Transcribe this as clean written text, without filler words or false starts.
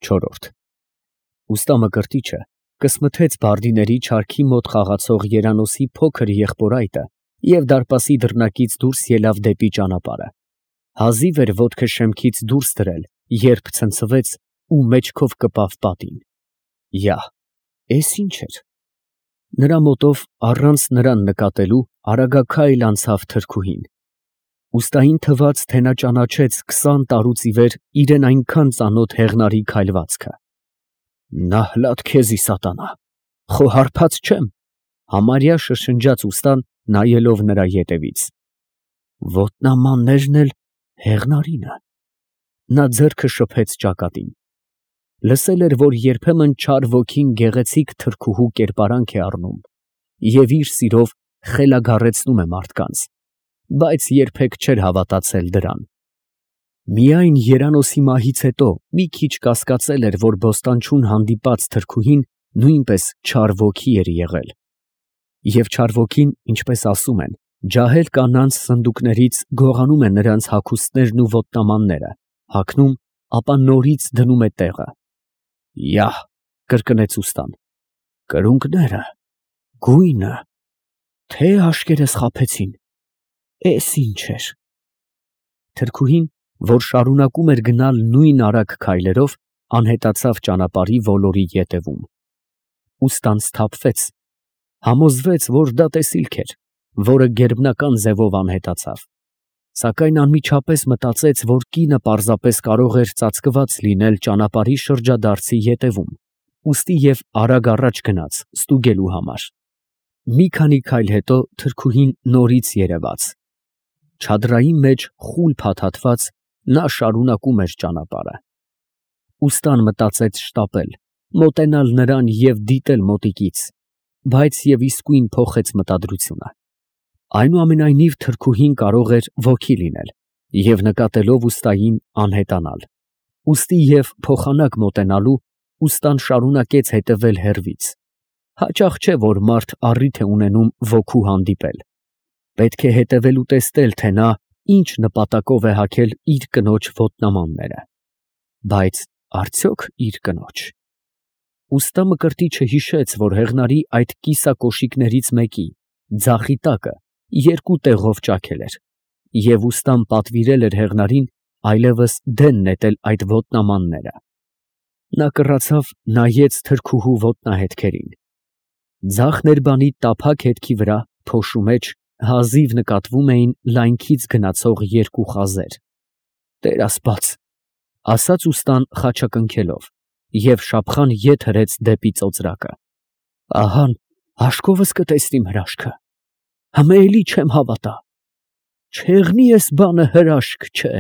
Չորրորդ Ուստա Մկրտիչը կսմթեց բարդիների չարքի մոտ խաղացող երանոցի փոքր եղբոր այտը և դարպասի դռնակից դուրս ելավ դեպի ճանապարհը. հազիվ էր ոտքը շեմքից դուրս դրել, երբ ցնցվեց ու մեջքով կպավ պատին. յա, էս ի՞նչ էր։ Նրա մոտով, առանց նրան նկատելու, արագաքայլ անցավ թրքուհին. ուստային թվաց, թե նա ճանաչեց 20 տարուց ի վեր իրան այնքան ծանոթ հեղնարի քայլվածքը։ Նահլատ քեզի, սատանա, խո հարբած չեմ, համարյա շշնջաց ուստան, նայելով նրա ետևից։ Ոտնամաններն էլ հեղնարինը։ Նա ձեռքը շփեց ճակատին. լսել էր, որ երբեմն չար ոգին գեղեցիկ թրքուհու կերպարանք է առնում և իր սիրով խելագարեցնում է մարդկանց, բայց երբեք չէր հավատացել դրան։ Միայն երանոցի մահից հետո մի քիչ կասկածել էր, որ բոստանչուն հանդիպած թրքուհին նույնպես չար ոգի էր եղել։ Եվ չար ոգին, ինչպես ասում են, ջահել կանանց սնդուկներից գողանում է նրանց հագուստներն ու ոտնամանները, հագնում, ապա նորից դնում է տեղը։ Յա, կրկնեց ուստան, կրունկները, գույնը, թե աշկերտս խաբեցին, էս ինչ էր։ Թրքուհին, որ շարունակում էր գնալ նույն արագ քայլերով, անհետացավ ճանապարհի ոլորի ետևում։ Ուստան սթափվեց, համոզվեց, որ դա տեսիլք էր, որը գերբնական ձևով անհետացավ, սակայն անմիջապես մտածեց, որ կինը պարզապես կարող էր ծածկված լինել ճանապարհի շրջադարձի ետևում, ուստի և արագ առաջ գնաց ստուգելու համար։ Մի քանի քայլ հետո թրքուհին նորից երևաց։ Չադրայի մեջ խուլ փաթաթված նա շարունակում էր ճանապարհը։ Ուստան մտածեց շտապել, մոտենալ նրան և դիտել մոտիկից, բայց և իսկույն փոխեց մտադրությունը։ Այնուամենայնիվ թրքուհին կարող էր ոգի լինել և նկատելով ուստային անհետանալ, ուստի և փոխանակ մոտենալու, ուստան շարունակեց հետևել հեռվից։ Հաճախ չէ, որ մարդ առիթ է ունենում ոգու հանդիպել։ Պետք է հետևել ու տեսնել, թե նա ինչ նպատակով է հագել իր կնոջ ոտնամանները։ Բայց արդյոք իր կնոջ։ Ուստա Մկրտիչը հիշեց, որ հեղնարի այդ կիսակոշիկներից մեկի, ձախի տակը, երկու տեղով ճաքել էր, և ուստան պատվիրել էր հեղնարին այլևս դեն նետել այդ ոտնամանները։ Նա կռացավ, նայեց թրքուհու ոտնահետքերին։ Ձախ ներբանի տափակ հետքի վրա, փոշու մեջ, հազիվ նկատվում էին լայնքից գնացող երկու խազեր։ Տեր ասպաց, ասաց ուստան խաչակնքելով, և շափխան ետ հրեց դեպի ծոծրակը։ Ահան աշկովս կտեսնիմ հրաշքը, հմե էլի չեմ հավատա, չեղնի էս բանը հրաշք չէ։